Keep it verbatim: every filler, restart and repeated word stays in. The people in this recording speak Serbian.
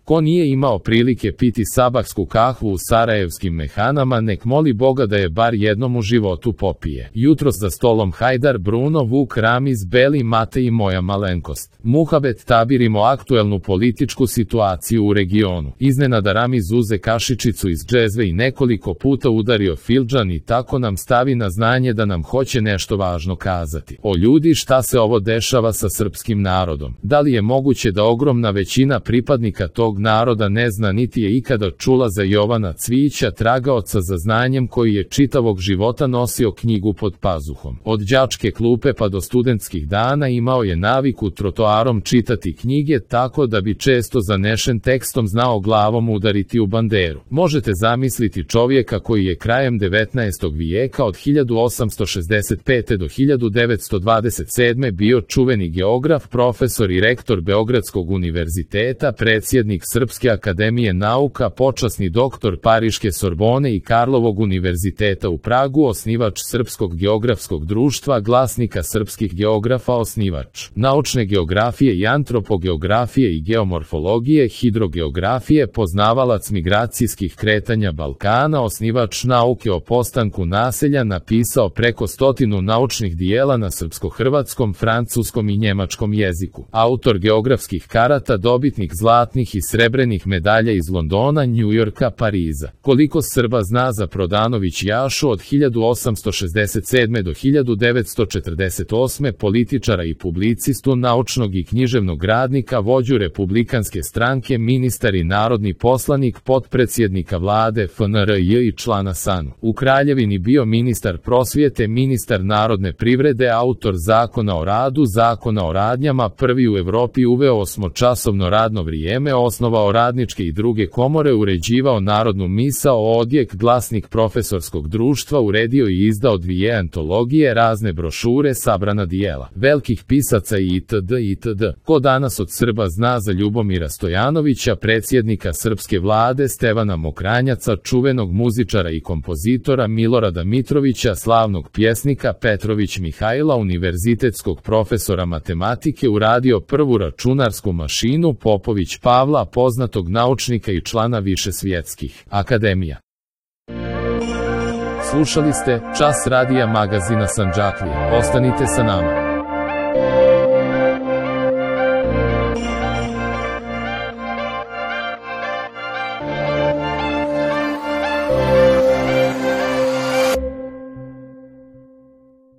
Ko nije imao prilike piti sabahsku kahvu u sarajevskim mehanama, nek moli Boga da je bar jednom u životu popije. Jutros za stolom Hajdar, Bruno, Vuk, Ramiz, Beli, Mate i moja malenkost. Muhabet, tabirimo aktuelnu političku situaciju u regionu. Iznenada Ramiz uze kašičicu iz džezve i nekoliko puta udario fildžan i tako nam stavi na znanje da nam hoće nešto važno kazati. O ljudi, šta se ovo dešava sa srpskim narodom? Da li je moguće da ogromna većina pripadnika tog naroda ne zna niti je ikada čula za Jovana Cvijića, tragaoca za znanjem koji je čitavog života nosio knjigu pod pazuhom. Od đačke klupe pa do studentskih dana imao je naviku trotoarom čitati knjige tako da bi često zanešen tekstom znao glavom udariti u banderu. Možete zamisliti čovjeka koji je krajem devetnaestog vijeka od hiljadu osamsto šezdeset pete do hiljadu devetsto dvadeset sedme bio čuveni geograf, profesor i rektor Beogradskog univerziteta, predsjednik Srpske akademije nauka, počasni doktor Pariške Sorbone i Karlovog univerziteta u Pragu, osnivač Srpskog geografskog društva, glasnika srpskih geografa, osnivač naučne geografije i antropogeografije i geomorfologije, hidrogeografije, poznavalac migracijskih kretanja Balkana, osnivač nauke o postanku naselja, napisao preko stotinu naučnih dijela na srpsko-hrvatskom, francuskom i njemačkom jeziku. Autor geografskih karata, dobitnik zlatnih i srebrenih medalja iz Londona, Njujorka, Pariza. Koliko Srba zna za Prodanović Jašu od hiljadu osamsto šezdeset sedme do hiljadu devetsto četrdeset osme, političara i publicistu, naučnog i književnog radnika, vođu republikanske stranke, ministar i narodni poslanik, potpredsjednika vlade F N R J i člana S A N U. U Kraljevini bio ministar prosvjete, ministar narodne privrede, autor zakona o radu, zakona o radnjama, prvi u Evropi uveo osmočasovno radno vrijeme, osnovao radničke i druge komore, uređivao narodnu misao, odjek, glasnik profesorskog društva, uredio i izdao dvije antologije, razne brošure, sabrana dijela velikih pisaca i itd. itd. Ko danas od Srba zna za Ljubomira Stojanovića, predsjednika srpske vlade, Stevana Mokranjaca, čuvenog muzičara i kompozitora, Milorada Mitrovića, slavnog pjesnika, Petrović Mihajla, univerzitetskog profesora matematike, uradio prvu računarsku mašinu, Popović Pavla, poznatog naučnika i člana više svjetskih akademija. Slušali ste Čas radija magazina Sandžaklija. Ostanite sa nama.